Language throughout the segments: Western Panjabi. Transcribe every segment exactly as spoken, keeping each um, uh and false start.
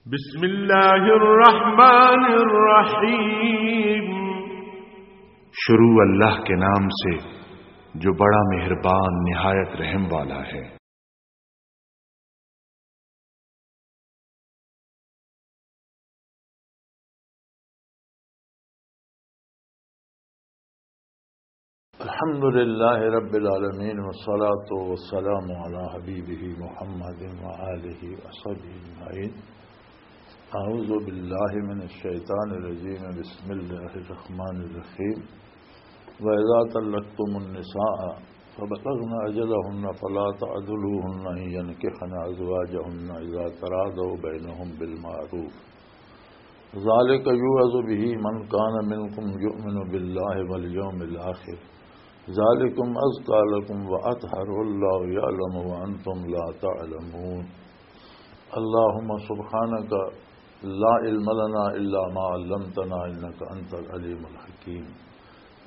بسم اللہ الرحمن الرحیم۔ شروع اللہ کے نام سے جو بڑا مہربان نہایت رحم والا ہے۔ الحمد لله رب العالمين، والصلاة والسلام على حبيبه محمد وآله وصحبه أجمعين. أعوذ بالله من الشيطان الرجيم. بسم الله الرحمن الرحيم. وإذا طلقتم النساء فبلغن أجلهن فلا تعضلوهن أن ينكحن أزواجهن إذا تراضوا بينهم بالمعروف. ذلك يوعظ به من كان منكم يؤمن بالله واليوم الآخر. ذلكم أزكى لكم وأطهر، والله يعلم وأنتم لا تعلمون. اللهم سبحانك لا علم لنا إلا ما علمتنا إنك أنت العليم الحكيم.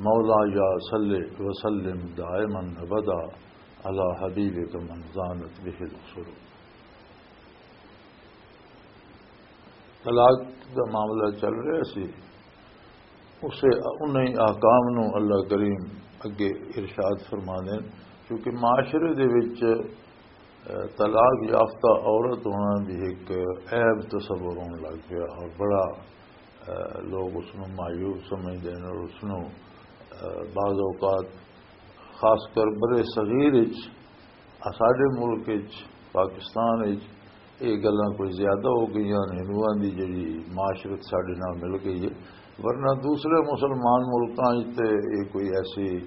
مولاي صل وسلم دائما أبدا على حبيبك من زانت به العصور. طلاق دا معاملہ چل رہا سی، اسے انہیں احکام نو اللہ کریم اگے ارشاد فرما دین، کیونکہ معاشرے دے وچ، اے، طلاق یافتہ عورت ہونا بھی ایک عیب تصور ہون لگ پیا اور بڑا، اے، لوگ اس نو معیوب سمجھدے نے اور اس نو، اے، بعض اوقات خاص کر برے صغیر وچ، آ، ساڈے ملک وچ، پاکستان وچ، یہ گلاں کوئی زیادہ ہو گئیاں نے، ہندوؤں دی جڑی معاشرت ساڈے نال مل گئی ہے، ورنہ دوسرے مسلمان ملکاں وچ تے یہ کوئی ایسی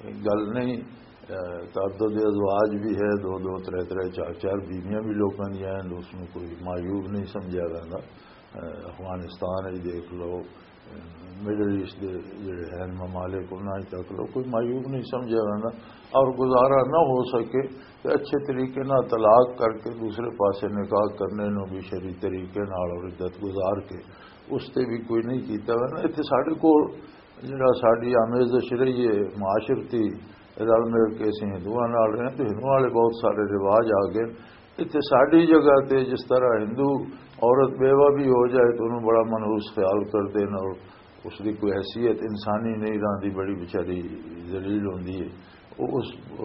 گل نہیں۔ اے، تعدد ازواج بھی ہے، دو دو، ترے ترے، چار چار بیویاں بھی لوکاں دیاں ہیں، اس نوں کوئی معیوب نہیں سمجھیا جاندا۔ اے، افغانستان وچ دیکھ لو، مڈل ایسٹ دے جڑے ہیں ممالک، انہاں وچ تک لو، کوئی معیوب نہیں سمجھیا جاندا۔ اور گزارا نہ ہو سکے تے اچھے طریقے نال طلاق کر کے دوسرے پاسے نکاح کرنے نوں بھی شرعی طریقے نال اور عدت گزار کے اس تے بھی کوئی نہیں کیتا جاندا۔ اتھے ساڈے کول جڑا ساڈی آمیزش رہی ہے معاشرتی، رل مل کے اسی ہندوؤں نال رہے ہیں، تو ہندوؤں والے بہت سارے رواج آ گئے۔ اتھے ساڈی جگہ تے جس طرح ہندو عورت بیوہ بھی ہو جائے تو انہوں بڑا منحوس خیال کردے نے اور اس دی کوئی حیثیت انسانی نہیں رہندی، بڑی بیچاری ذلیل ہوندی ہے۔ وہ اس، آ،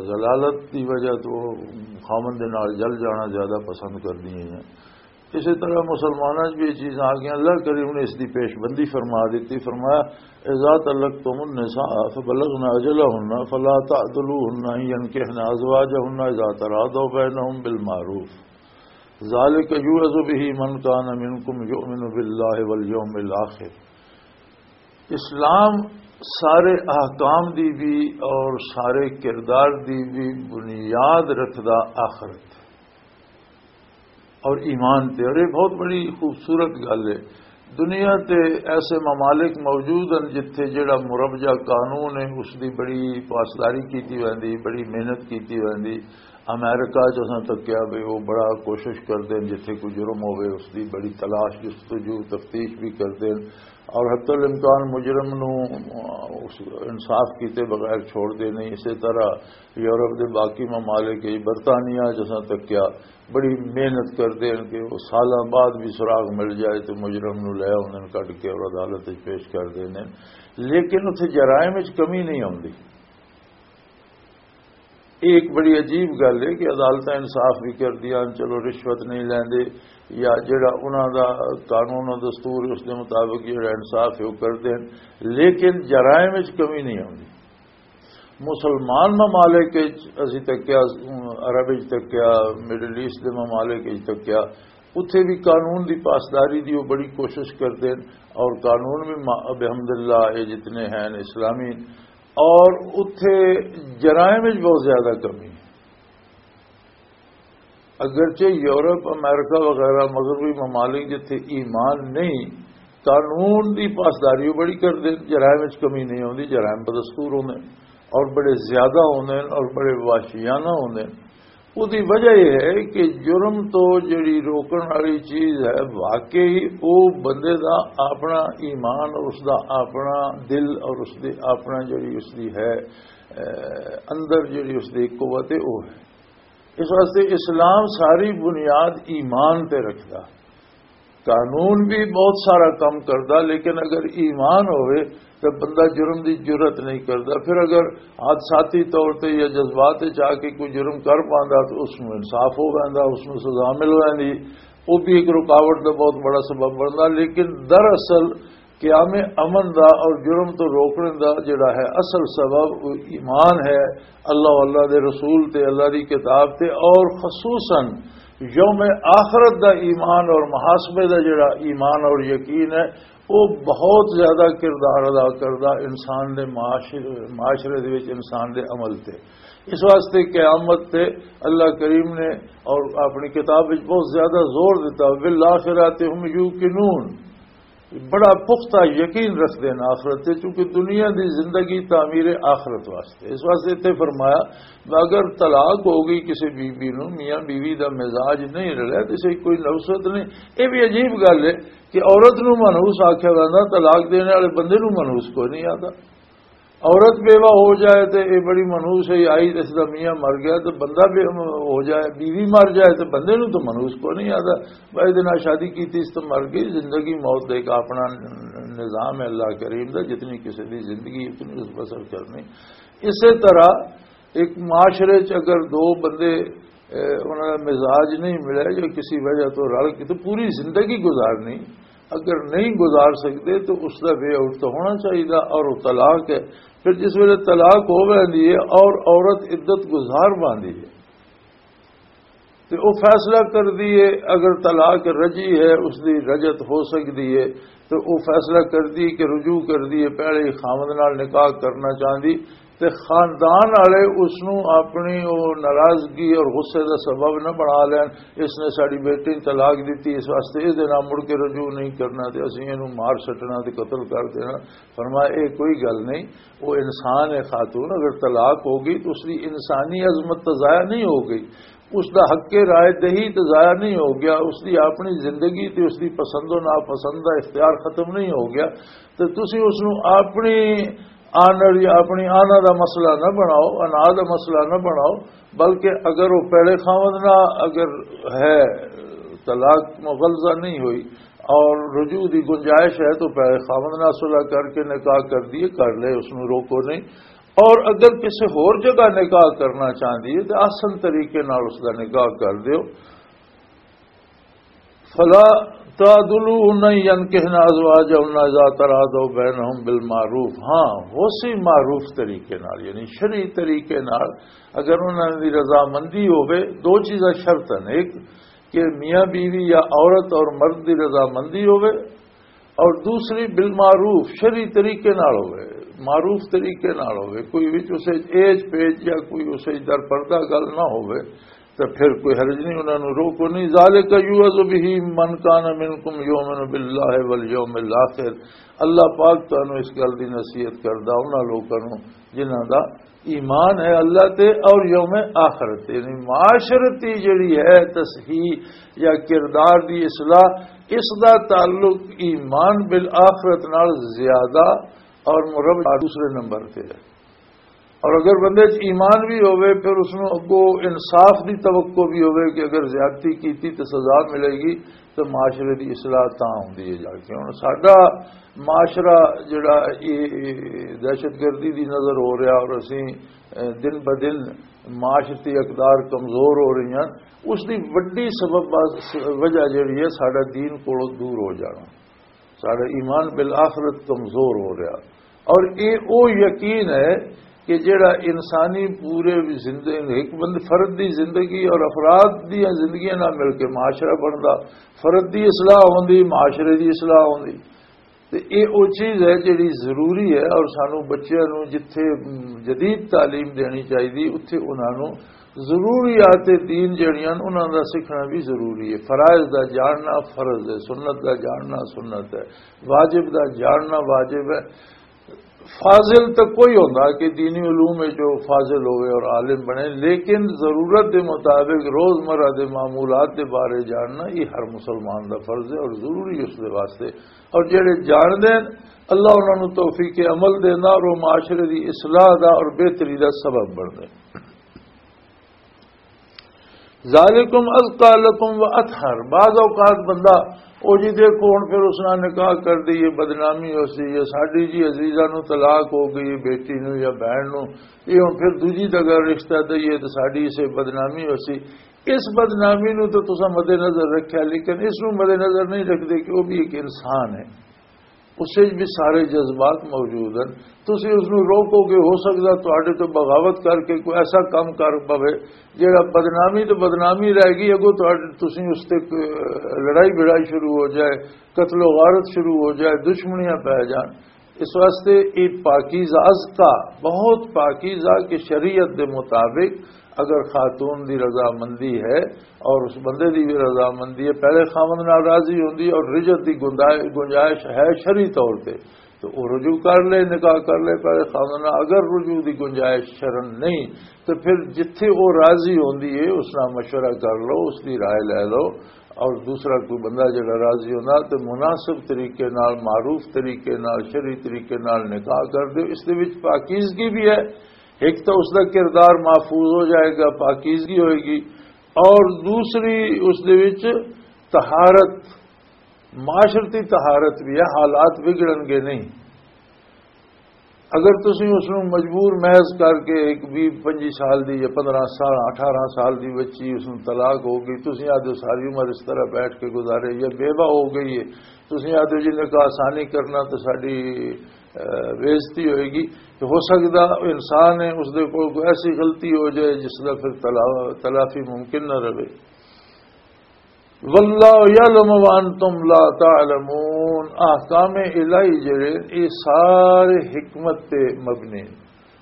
ذلالت دی وجہ تو خاوند دے نال جل جانا زیادہ پسند کردی ہیں۔ اسی طرح مسلماناں 'چ بھی یہ چیزاں آ گئیاں۔ اللہ کریم نے اس دی پیش بندی فرما دیتی، فرمایا، "اذا طلقتم النساء فبلغن اجلهن فلا تعضلوهن ان ينكحن ازواجهن اذا تراضوا بينهم بالمعروف، ذلك يوعظ به من كان منكم يؤمن بالله واليوم الآخر۔" اسلام سارے احکام دی بھی اور سارے کردار دی بھی بنیاد رکھدا آخرت اور ایمان تے، اور یہ بہت بڑی خوبصورت گل ہے۔ دنیا تے ایسے ممالک موجود ہیں جتھے جڑا مربجہ قانون ہے، اس دی بڑی پاسداری کیتی ویندی، بڑی محنت کیتی ویندی۔ امریکہ چ اساں تکیا بھی وہ بڑا کوشش کردے ہیں، جتھے کوئی جرم ہوئے اس دی بڑی تلاش، جستجو، تفتیش بھی کردے ہیں، اور حتی الامکان مجرم نو، آ، اس انصاف کیتے بغیر چھوڑ دے نہیں۔ اسی طرح یورپ دے باقی ممالک، برطانیہ جساں تکیا، بڑی محنت کردے ہیں کہ وہ سالاں بعد بھی سراغ مل جائے تو مجرم نو لے آؤندے ہیں، کڈ کے اور عدالت وچ پیش کر دیندے ہیں۔ لیکن اتھے جرائم وچ کمی نہیں آندی۔ یہ ایک بڑی عجیب گل ہے کہ عدالتاں انصاف بھی کردیاں، چلو رشوت نہیں لیندے، یا جڑا انہاں دا قانون و دستور اس دے مطابق جڑا انصاف ہے وہ کردے ہیں، لیکن جرائم وچ کمی نہیں آندی۔ مسلمان ممالک وچ اسی تکیا، عرب وچ تکیا، مڈل ایسٹ دے ممالک وچ تکیا، اتھے بھی قانون دی پاسداری دی وہ بڑی کوشش کردے ہیں، اور قانون بھی ما-، بحمد اللہ یہ جتنے ہیں اسلامی، اور اتھے جرائم وچ بہت زیادہ کمی ہے۔ اگرچہ یورپ، امریکہ وغیرہ مغربی ممالک جتھے ایمان نہیں، قانون دی پاسداری وہ بڑی کردے، جرائم وچ کمی نہیں ہوندی، جرائم بدستور ہوندے اور بڑے زیادہ ہوندے اور بڑے وحشیانہ ہوندے۔ اس دی وجہ یہ ہے کہ جرم تو جڑی روکن والی چیز ہے، واقعی وہ بندے دا اپنا ایمان اور اس دا اپنا دل اور اس دی اپنا جڑی اس دی ہے، اے، اندر جڑی اس دی قوت ہے، وہ ہے۔ اس واسطے اسلام ساری بنیاد ایمان تے رکھدا۔ قانون بھی بہت سارا کم کردا، لیکن اگر ایمان ہوئے تو بندہ جرم دی جرات نہیں کردا۔ پھر اگر حادثاتی طور تے یا جذبات وچ آ کے کوئی جرم کر پاندا تو اس نوں انصاف ہو ویندا، اس نوں سزا مل ویندی۔ وہ بھی ایک رکاوٹ دا بہت بڑا سبب بندا۔ لیکن دراصل قیام امن دا اور جرم تو روکنے دا جڑا ہے اصل سبب، وہ ایمان ہے اللہ و اللہ دے رسول تے، اللہ دی کتاب تے، اور خصوصاً یوم آخرت دا ایمان اور محاسبے دا جڑا ایمان اور یقین ہے، وہ بہت زیادہ کردار ادا کردا انسان دے معاشر-، معاشرے دے وچ انسان دے عمل تے۔ اس واسطے قیامت تے اللہ کریم نے اور اپنی کتاب وچ بہت زیادہ زور دیتا، "بالآخرۃ هم یوقنون"، بڑا پختہ یقین رکھدے نے آخرت تے، چونکہ دنیا دی زندگی تعمیر آخرت واسطے۔ اس واسطے اتنے فرمایا، اگر طلاق ہو گئی کسی بی بی نو، میاں بیوی دا مزاج نہیں رلیا، کسی کوئی نفست نہیں۔ یہ بھی عجیب گل ہے کہ عورت نو منحوس آکھیا جاندا، طلاق دینے والے بندے نو منحوس کوئی نہیں آتا۔ عورت بیوہ ہو جائے تے یہ بڑی منحوس ہے، آئی اس دا میاں مر گیا تے بندہ بے-، ہو جائے، بیوی مر جائے تے بندے نو تو منحوس کوئی نہیں آتا۔ بھائی دے نال شادی کیتی، اس تو مر گئی، زندگی موت دے کا اپنا نظام ہے اللہ کریم دا، جتنی کسی دی زندگی اتنی اس بسر کرنی۔ اسی طرح ایک معاشرے چ اگر دو بندے، اے، انہاں دا مزاج نہیں ملے یا کسی وجہ تو رل کے تو پوری زندگی گزارنی، اگر نہیں گزار سکتے تو اس دا وے آؤٹ تو ہونا چاہیے، اور وہ طلاق ہے۔ پھر جس ویلے طلاق ہو ویندی ہے اور عورت عدت گزار باندھی ہے، تے او فیصلہ کر دیے، اگر طلاق رجی ہے، اس دی رجت ہو سکدی ہے، تے او فیصلہ کر دی کہ رجوع کر دیے، پہلے ہی خاوند نال نکاح کرنا چاہندی، تے خاندان والے اس نو اپنی او ناراضگی اور غصے دا سبب نہ بنا لین، اس نے ساڈی بیٹی نوں طلاق دتی، اس واسطے اس دے نال مڑ کے رجوع نہیں کرنا، تے اسی اینوں مار سٹنا تے قتل کر دینا۔ فرمایا، "اے کوئی گل نہیں، وہ انسان ہے خاتون، اگر طلاق ہو گئی تو اس دی انسانی عظمت تو ضائع نہیں ہو گئی، اس دا حق رائے دہی تو ضائع نہیں ہو گیا، اس دی اپنی زندگی تے اس دی پسند و ناپسند دا اختیار ختم نہیں ہو گیا۔ تو تسی اس نو اپنی آنر یا اپنی آنا دا مسئلہ نہ بناؤ، انا دا مسئلہ نہ بناؤ، بلکہ اگر وہ پہلے خاوند نہ اگر ہے، طلاق مغلظہ نہیں ہوئی اور رجوع دی گنجائش ہے تو پہلے خاوند نال صلح کر کے نکاح کر دیے، کر لے، اس نو روکو نہیں۔ اور اگر کسی ہور جگہ نکاح کرنا چاہندی ہے تو آسن طریقے نال اس دا نکاح کر دیو۔" فلا تعدلوهن ينكحن ازواجهن اذا تراضوا بينهم بالمعروف۔ ہاں، وہ سی معروف طریقے نال، یعنی شرعی طریقے نال، اگر انہاں دی رضامندی ہوے، دو چیزاں شرط ہیں۔ ایک کہ میاں بیوی یا عورت اور مرد دی رضامندی ہوے، اور دوسری بالمعروف، شرعی طریقے نال ہوے، معروف طریقے نال ہوے، کوئی وچ اسے ایج پیج یا کوئی اسے در پردہ گل نہ ہوے، تو پھر کوئی حرج نہیں، انہاں نوں روکو نہیں۔ ذالک یوعظ بہ من کان منکم یؤمن باللہ والیوم الاخر۔ اللہ پاک تانوں اس گل دی نصیحت کردا انہاں لوکاں نوں جنہاں دا ایمان ہے اللہ تے اور یوم آخرت تے۔ یعنی معاشرتی جڑی ہے تصحیح یا کردار دی اصلاح، اس دا تعلق ایمان بالآخرت نال زیادہ اور مربع دوسرے نمبر تے ہے۔ اور اگر بندے چ ایمان بھی ہوئے، پھر اس نوں اگوں انصاف دی توقع بھی ہوئے کہ اگر زیادتی کیتی تو سزا ملے گی، تو معاشرے دی اصلاح تاں ہوندی ہے جا کے۔ ہن ساڈا معاشرہ جڑا اے، اے دہشت گردی دی نظر ہو رہا اور اسی، اے، دن بدن معاشرتی اقدار کمزور ہو رہی ہیں، اس دی وڈی سبب، وجہ جڑی ہے ساڈا دین کولوں دور ہو جانا۔ ساڈا ایمان بالآخرت کمزور ہو رہا۔ اور یہ او یقین ہے کہ جڑا انسانی پورے زندگی، ایک بند فرد دی زندگی اور افراد دی زندگیاں نال مل کے معاشرہ بندا، فرد دی اصلاح ہوندی، معاشرے دی اصلاح ہوندی۔ تے یہ او چیز ہے جڑی ضروری ہے، اور سانو بچیاں نو جتھے جدید تعلیم دینی چاہیے، اتھے انہاں نو ضروریات دین جڑیاں انہاں دا سکھنا بھی ضروری ہے۔ فرائض دا جاننا فرض ہے، سنت دا جاننا سنت ہے، واجب دا جاننا واجب ہے۔ فاضل تو کوئی ہوندا کہ دینی علوم وچ جو فاضل ہوئے اور عالم بنے، لیکن ضرورت دے مطابق روزمرہ دے معمولات دے بارے جاننا یہ ہر مسلمان دا فرض ہے اور ضروری اس دے واسطے۔ اور جڑے جاندے ہیں، اللہ انہاں نوں توفیق عمل دیندا اور وہ معاشرے دی اصلاح دا اور بہتری دا سبب بندا ہے۔ ذالکم ازکا لکم و اطہر۔ بعض اوقات بندہ، او جی دیکھو، ہن پھر اس نال نکاح کر دئیے، بدنامی ہو سی، یا ساڈی جی عزیزہ نو طلاق ہو گئی، بیٹی نو یا بہن نو، یہ ہن پھر دوجی جگہ رشتہ دئیے تے ساڈی اسے بدنامی ہو سی۔ اس بدنامی نو تو تساں مد نظر رکھیا، لیکن اس نو مد نظر نہیں رکھدے کہ وہ بھی ایک انسان ہے۔ اس وچ بھی سارے جذبات موجود ہیں۔ تسی اس نوں روکو گے، ہو سکدا تہاڈے تو بغاوت کر کے کوئی ایسا کم کر پوے جڑا بدنامی تو بدنامی رہ گئی، اگوں تہاڈے، تسی اس تے کوئی لڑائی بھڑائی شروع ہو جائے، قتل و غارت شروع ہو جائے، دشمنیاں پے جان۔ اس واسطے یہ پاکیزہ، ازکا، بہت پاکیزہ، کہ شریعت دے مطابق اگر خاتون دی رضامندی ہے اور اس بندے دی بھی رضامندی ہے، پہلے خاوند نال راضی ہوندی ہے اور رجعت دی گنجائ-، گنجائش ہے شرعی طور تے، تو وہ رجوع کر لے، نکاح کر لے پہلے خاوند نال۔ اگر رجوع دی گنجائش شرن نہیں، تو پھر جتھے وہ راضی ہوندی ہے، اس نال مشورہ کر لو، اس دی رائے لے لو، اور دوسرا کوئی بندہ جڑا راضی ہوندا، تو مناسب طریقے نال، معروف طریقے نال، شرعی طریقے نال نکاح کر دیو۔ اس دے وچ پاکیزگی بھی ہے، ایک تو اس دا کردار محفوظ ہو جائے گا، پاکیزگی ہوئے گی، اور دوسری اس دے وچ طہارت، معاشرتی طہارت بھی ہے، حالات بگڑن گے نہیں۔ اگر تسی اس نوں مجبور محض کر کے ایک بھی پنجی سال دی یا پندرہ سال، اٹھارہ سال دی بچی، اس نوں طلاق ہو گئی، تسی آدھے ساری عمر اس طرح بیٹھ کے گزارے، یا بیوہ ہو گئی ہے، تسی آدھے جی نکاح آسانی کرنا تو ساڈی، اہ، بےعزتی ہوئے گی۔ تو ہو سکدا انسان ہے، اس دے کول کوئی ایسی غلطی ہو جائے جس دا پھر تلا-، تلافی ممکن نہ رہے۔ واللہ یعلم وانتم لا تعلمون۔ احکام الہی جڑے، یہ سارے حکمت تے مبنی ہیں۔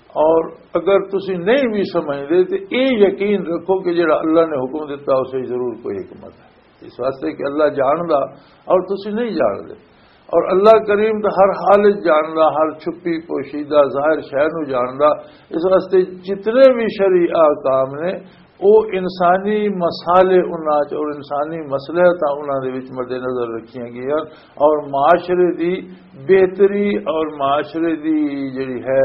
اور اگر تسی نہیں بھی سمجھدے تے یہ یقین رکھو کہ جڑا اللہ نے حکم دیتا، اسے ضرور کوئی حکمت ہے۔ اس واسطے کہ اللہ جاندا اور تسی نہیں جاندے۔ اور اللہ کریم تو ہر حال وچ جاندا، ہر چھپی پوشیدہ ظاہر شے نو جاندا۔ اس واسطے جتنے بھی شرعی احکام نے، وہ انسانی مسالے انہاں چ اور انسانی مصلحتاں انہاں دے وچ مد نظر رکھیاں گئیاں، اور معاشرے دی بہتری اور معاشرے دی جڑی ہے،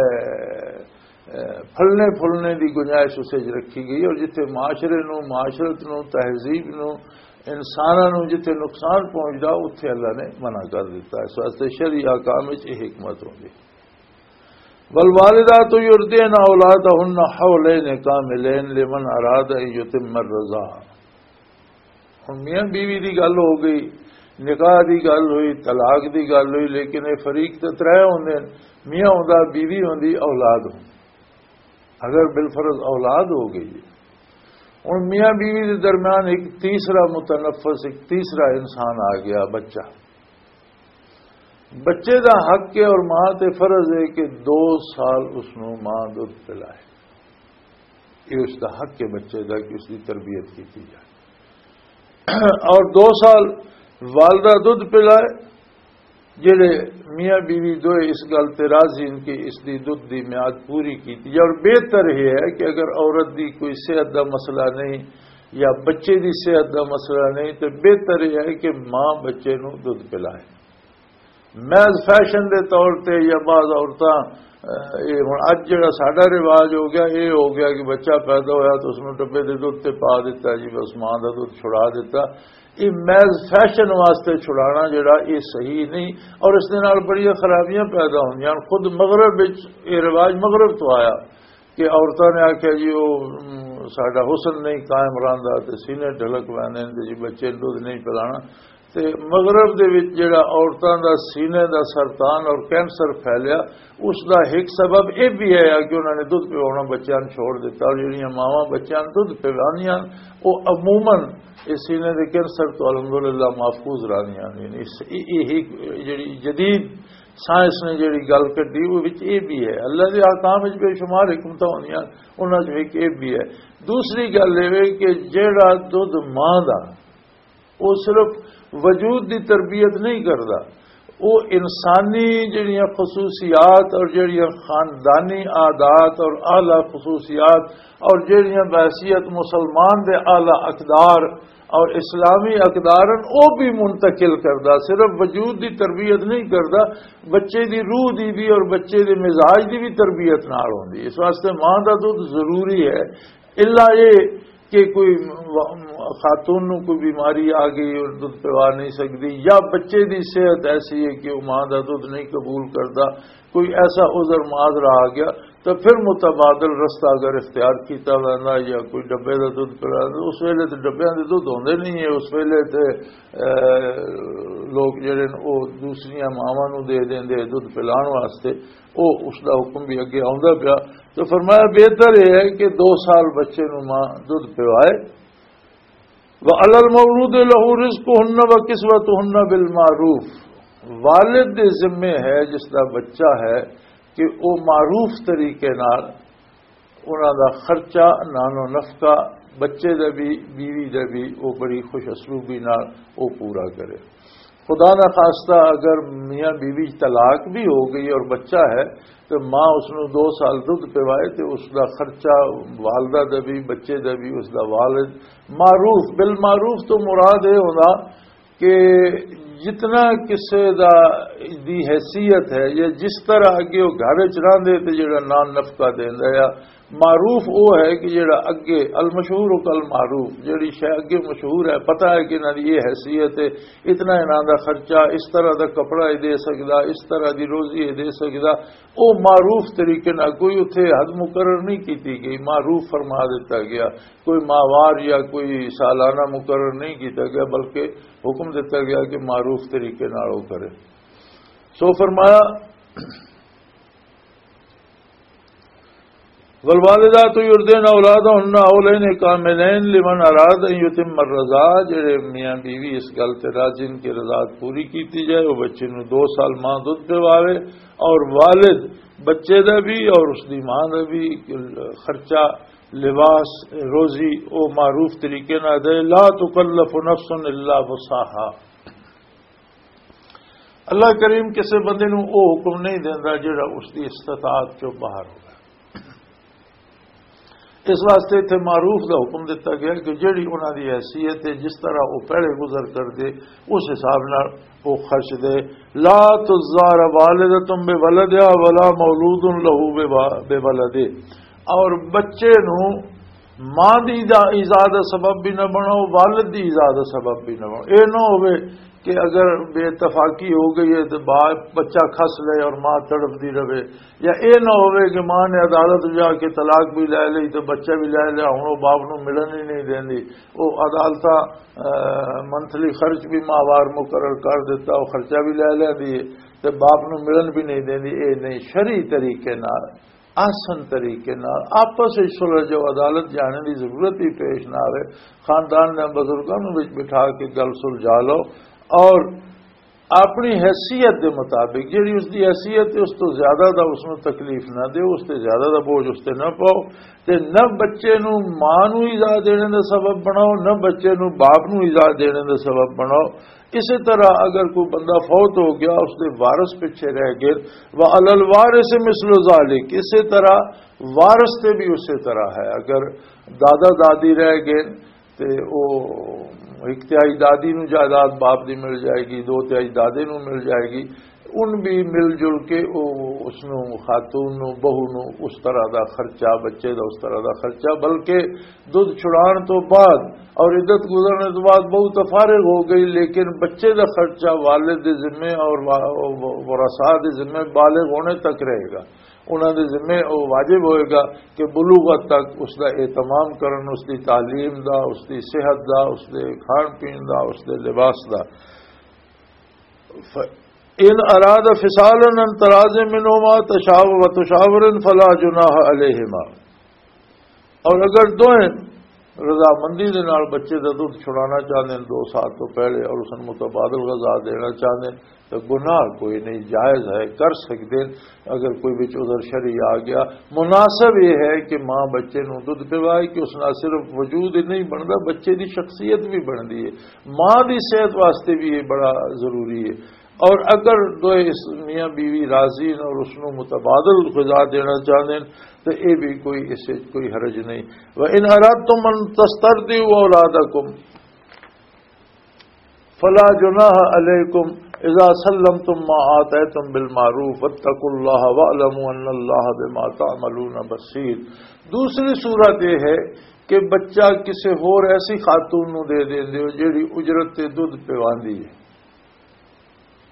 اے، پھلنے پھلنے دی گنجائش اسے وچ رکھی گئی، اور جتھے معاشرے نو، معاشرت نو، تہذیب نو، انساناں نو جتھے نقصان پہنچدا، اتھے اللہ نے منع کر دیتا ہے۔ اس واسطے شرعی احکام وچ یہ حکمت ہوندی۔ والوالدات یرضعن اولادهن حولین کاملین لمن اراد ان یتم الرضاعہ۔ ہن میاں بیوی دی گل ہو گئی، نکاح دی گل ہوئی، طلاق دی گل ہوئی، لیکن یہ فریق تے ترے ہوندے نے، میاں ہوندا، بیوی ہوندی، اولاد ہوندی۔ اگر بالفرض اولاد ہو گئی ہے، ہن میاں بیوی دے درمیان ایک تیسرا متنفس، ایک تیسرا انسان آ گیا، بچہ۔ بچے دا حق ہے اور ماں تے فرض ہے کہ دو سال اس نو ماں دودھ پلائے۔ یہ اس دا حق ہے بچے دا کہ اس دی تربیت کیتی جائے۔ اور دو سال والدہ دودھ پلائے۔ جڑے میاں بیوی دوئے اس گل تے راضی ہن کہ اس دی دودھ دی میعاد پوری کیتی جائے، اور بہتر یہ ہے کہ اگر عورت دی کوئی صحت دا مسئلہ نہیں یا بچے دی صحت دا مسئلہ نہیں، تو بہتر یہ ہے کہ ماں بچے نو دودھ پلائے۔ محض فیشن دے طور تے یا بعض عورتاں، اے، ہن اج جڑا ساڈا رواج ہو گیا، اے ہو گیا کہ بچہ پیدا ہویا تو اس نوں ڈبے دے دودھ تے پا دتا جی، بس ماں دا دودھ چھڑا دتا۔ یہ محض فیشن واسطے چھڑانا جڑا، یہ صحیح نہیں، اور اس دے نال بڑیاں خرابیاں پیدا ہوندیاں۔ خود مغرب وچ یہ رواج مغرب تو آیا کہ عورتاں نے آکھیا جی، او، ام، ساڈا حسن نہیں قائم رہندا تے سینے ڈھلک ویندے نے تے جی بچے نوں دودھ نہیں پلانا۔ تے مغرب دے وچ جڑا عورتاں دا سینے دا سرطان اور کینسر پھیلیا، اس دا ایک سبب یہ بھی ہے کہ انہاں نے دودھ پوانا بچیاں نوں چھوڑ دتا، اور جڑیاں ماواں بچیاں نوں دودھ پواندیاں، او عموماً اس سینے دے کینسر تو الحمدللہ محفوظ رہندیاں نے۔ اس، یہ، یہ ایک جڑی جدید سائنس نے جڑی گل کڈی، وہ وچ یہ بھی ہے۔ اللہ دے احکام وچ بے شمار حکمتاں ہوندیاں، انہاں چ ایک یہ بھی ہے۔ دوسری گل یہ ہے کہ جڑا دودھ ماں دا، وہ صرف وجود دی تربیت نہیں کردا، وہ انسانی جڑیاں خصوصیات اور جڑیاں خاندانی عادات اور اعلیٰ خصوصیات اور جڑیاں بحیثیت مسلمان دے اعلیٰ اقدار اور اسلامی اقدار ہیں، وہ بھی منتقل کردا۔ صرف وجود دی تربیت نہیں کردا، بچے دی روح دی بھی اور بچے دے مزاج دی بھی تربیت نال ہوندی۔ اس واسطے ماں دا دودھ ضروری ہے۔ الا یہ کہ کوئی خاتون نو کوئی بیماری آ گئی اور دودھ پوا نہیں سکتی، یا بچے دی صحت ایسی ہے کہ وہ ماں دا دودھ نہیں قبول کرتا، کوئی ایسا عذر معذرہ آ گیا، تو پھر متبادل رستہ اگر اختیار کیتا ویندا یا کوئی ڈبے دا دودھ پلا، اس ویلے تے ڈبیاں دے دودھ ہوندے نہیں ہے، اس ویلے تے، اے، لوگ جڑے نے، او دوسریاں ماواں نو دے دیندے دودھ پلان واسطے، او اس دا حکم بھی اگے آوندا پیا۔ تو فرمایا، بہتر یہ ہے کہ دو سال بچے نو ماں دودھ پوائے۔ وَعَلَى الْمَوْلُودِ لَهُ رِزْقُهُنَّ وَكِسْوَتُهُنَّ بِالْمَعْرُوفِ۔ والد دے ذمے ہے، جس دا بچہ ہے، کہ او معروف طریقے نال انہاں دا خرچہ، نان و نفقہ، بچے دا بھی، بیوی دا بھی، او بڑی خوش اسلوبی نال او پورا کرے۔ خدا نہ خواستہ اگر میاں بیوی طلاق بھی ہو گئی اور بچہ ہے، تو ماں اس نو دو سال دودھ پوائے، تو اس دا خرچہ، والدہ دا بھی، بچے دا بھی، اس دا والد، معروف، بالمعروف تو مراد یہ ہونا کہ جتنا کسے دا، دی حیثیت ہے، یا جس طرح اگے وہ گھر وچ رہندے تے جڑا نان نفقہ دیندا ہے، معروف وہ ہے کہ جڑا اگے، المشہور کل معروف، جڑی شے اگے مشہور ہے، پتہ ہے کہ انہاں دی یہ حیثیت ہے، اتنا انہاں دا خرچہ، اس طرح دا کپڑا یہ دے سکدا، اس طرح دی روزی یہ دے سکدا، وہ معروف طریقے نال، کوئی اتھے حد مقرر نہیں کیتی گئی، معروف فرما دیتا گیا۔ کوئی ماہوار یا کوئی سالانہ مقرر نہیں کیتا گیا، بلکہ حکم دیتا گیا کہ معروف طریقے نال وہ کرے۔ سو فرمایا، والوالدات یرضعن اولادهن حولین کاملین لمن اراد ان یتم الرضاعہ، جڑے میاں بیوی اس گل تے راضی ان کی رضاعت پوری کیتی جائے، وہ بچے نو دو سال ماں دودھ پواوے، اور والد بچے دا بھی اور اس دی ماں دا بھی خرچہ، لباس، روزی، او معروف طریقے نال دے۔ لا تکلف نفس الا وسعها۔ اللہ کریم کسے بندے نو او حکم نہیں دیندا جڑا اس دی استطاعت چوں باہر ہوگا۔ اس واسطے اتھے معروف دا حکم دتا گیا کہ جڑی انہاں دی حیثیت ہے، جس طرح وہ پہلے گزر کر دے، اس حساب نال وہ خرچ دے۔ لا تضار والدۃ بولدہا ولا مولود لہ بولدہ۔ اور بچے نو ماں دی دا ایذا دا سبب بھی نہ بناؤ، والد دی ایذا دا سبب بھی نہ بناؤ۔ اے نہ ہوئے کہ اگر بے اتفاقی ہو گئی ہے تو با-، بچہ کھس لے اور ماں تڑپ دی رہے، یا اے نہ ہوئے کہ ماں نے عدالت جا کے طلاق بھی لے لئی تو بچہ بھی لے لیا، ہن او باپ نو ملن ہی نہیں دیندی۔ او عدالتاں، اے، منتھلی خرچ بھی ماہوار مقرر کر دیتا، او خرچہ بھی لے لیندی ہے تے باپ نو ملن بھی نہیں دیندی۔ اے نہیں، شرعی طریقے نال، احسن طریقے نال آپس وچ صلح جو عدالت جانے دی ضرورت بھی پیش نہ آوے، خاندان دے بزرگاں نوں وچ بٹھا کے گل سلجھا لو، اور اپنی حیثیت دے مطابق، جڑی اس دی حیثیت ہے، اس تو زیادہ دا اس نوں تکلیف نہ دیو، اس تے زیادہ دا بوجھ اس تے نہ پاؤ، تے نہ بچے نوں ماں نوں ایذا دینے دا سبب بناؤ، نہ بچے نوں باپ نوں ایذا دینے دا سبب بناؤ۔ اسی طرح اگر کوئی بندہ فوت ہو گیا، اس دے وارث پیچھے رہ گئے، وعلی الوارث مثل ذالک، اسی طرح وارث تے بھی اسی طرح ہے۔ اگر دادا دادی رہ گئے، تے او ایک تہائی دادی نو جائیداد باپ دی مل جائے گی، دو تہائی دادے نو مل جائے گی۔ ان بھی مل جل کے او اس نو، خاتون نو، بہو نو اس طرح دا خرچہ، بچے دا اس طرح دا خرچہ، بلکہ دودھ چھڑان تو بعد اور عدت گزرنے تو بعد بہو تو فارغ ہو گئی، لیکن بچے دا خرچہ والد دے ذمے اور وا-، ورثاء دے ذمے بالغ ہونے تک رہے گا۔ انہاں دے ذمے او واجب ہوئے گا کہ بلوغت تک اس دا اہتمام کرن، اس دی تعلیم دا، اس دی صحت دا، اس دے کھان پین دا، اس دے لباس دا۔ ف-، ان اراد فصالا عن تراض منهما تشاو-، وتشاور فلا جناح علیہما۔ اور اگر دوئیں رضامندی دے نال بچے دا دودھ چھڑانا چاہندے ہیں دو سال تو پہلے اور اس نوں متبادل غذا دینا چاہندے ہیں تو گناہ کوئی نہیں، جائز ہے، کر سکدے ہیں۔ اگر کوئی وچ عذر شرعی آ گیا، مناسب یہ ہے کہ ماں بچے نوں دودھ پوائے کہ اس نال صرف وجود ہی نہیں بندا، بچے دی شخصیت بھی بندی ہے، ماں دی صحت واسطے بھی یہ بڑا ضروری ہے۔ اور اگر دوئے اس میاں بیوی راضی ہیں اور اس نوں متبادل غذا دینا چاہندے ہیں تو یہ بھی کوئی، اس وچ کوئی حرج نہیں۔ وَإِنْ أَرَدْتُمْ أَنْ تَسْتَرْضِعُوا أَوْلَادَكُمْ فَلَا جُنَاحَ عَلَيْكُمْ إِذَا سَلَّمْتُمْ مَا آتَيْتُمْ بِالْمَعْرُوفِ وَاتَّقُوا اللَّهَ وَاعْلَمُوا أَنَّ اللَّهَ بِمَا تَعْمَلُونَ بَصِيرٌ۔ دوسری صورت یہ ہے کہ بچہ کسے ہور ایسی خاتون نو دے دیندے ہو جیڑی اجرت تے دودھ پیواندی ہے،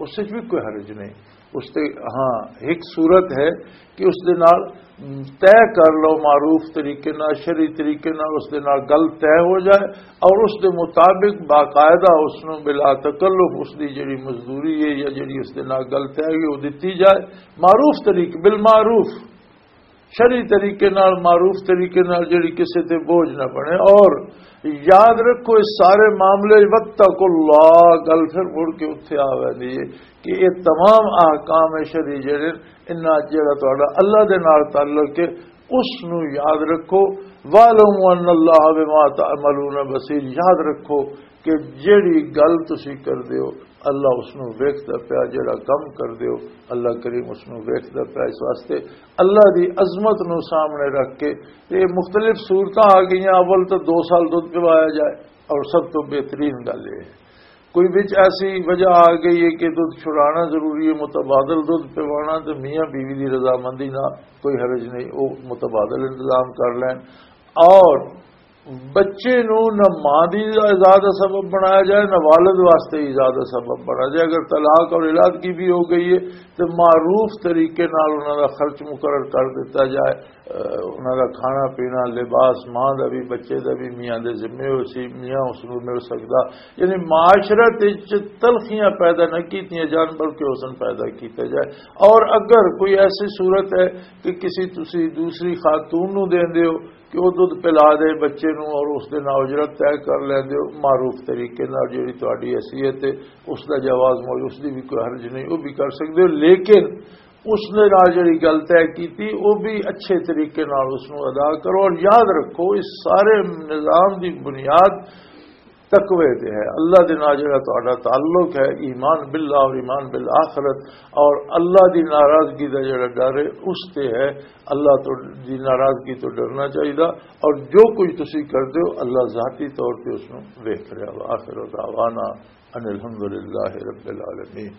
اس وچ بھی کوئی حرج نہیں۔ اس تے، ہاں، ایک صورت ہے کہ اس دے نال طے کر لو، معروف طریقے نال، شرعی طریقے نال اس دے نال گل طے ہو جائے اور اس دے مطابق باقاعدہ اس نو بلا تکلف اس دی جڑی مزدوری ہے یا جڑی اس دے نال گل طے ہوئی، وہ دتی جائے، معروف طریقے، بالمعروف، شرعی طریقے نال، معروف طریقے نال، جڑی کسے تے بوجھ نہ بنے۔ اور یاد رکھو، اس سارے معاملے وچ واتقوا اللہ، گل پھر مڑ کے اتھے آ ویندی ہے کہ یہ تمام احکام شرعی جڑے، انہاں جڑا تہاڈا اللہ دے نال تعلق ہے، اس نو یاد رکھو۔ وَاعْلَمُوا أَنَّ اللَّهَ بِمَا تَعْمَلُونَ بَصِيرٌ، یاد رکھو کہ جیڑی گل تسی کردے ہو، اللہ اس نو ویکھدا پیا، جیڑا کم کردے ہو، اللہ کریم اس نو ویکھدا پیا۔ اس واسطے اللہ دی عظمت نو سامنے رکھ کے، تے مختلف صورتاں آ گئیاں، اول تو دو سال دودھ پوایا جائے، اور سب تو بہترین گل یہ ہے۔ کوئی وچ ایسی وجہ آ گئی ہے کہ دودھ چھڑانا ضروری ہے، متبادل دودھ پوانا، تے میاں بیوی دی رضامندی نہ کوئی حرج نہیں، وہ متبادل انتظام کر لین۔ اور بچے نو نہ ماں دی ایذا دا سبب بنایا جائے، نہ والد واسطے ایذا دا سبب بنایا جائے۔ اگر طلاق اور علادگی بھی ہو گئی ہے تو معروف طریقے نال انہاں دا خرچ مقرر کر دیتا جائے، اہ، انہاں دا کھانا پینا، لباس، ماں دا بھی، بچے دا بھی میاں دے ذمے ہو سی، میاں اس نو مل سکدا۔ یعنی معاشرت وچ تلخیاں پیدا نہ کیتیاں جان، بلکہ حسن پیدا کیتا جائے۔ اور اگر کوئی ایسی صورت ہے کہ کسی تسی دوسری خاتون نو دیندے ہو، کہ وہ دودھ پلا دے بچے نو اور اس دے نال اجرت طے کر لیندے ہو، معروف طریقے نال جڑی تہاڈی حیثیت ہے، اس دا جواز موجود، اس دی بھی کوئی حرج نہیں، وہ بھی کر سکدے ہو۔ لیکن اس دے نال جڑی گل طے کیتی، وہ بھی اچھے طریقے نال اس نو ادا کرو۔ اور یاد رکھو، اس سارے نظام دی بنیاد تقوی تے ہے، اللہ دے نال جڑا تہاڈا تعلق ہے، ایمان باللہ اور ایمان بالآخرت، اور اللہ دی ناراضگی دا جڑا ڈر ہے، اس تے ہے۔ اللہ تو، دی ناراضگی تو ڈرنا چاہیدا، اور جو کچھ تسی کردے ہو، اللہ ذاتی طور تے اس نو ویکھ رہا۔ وآخر دعوانا ان الحمدللہ رب العالمین۔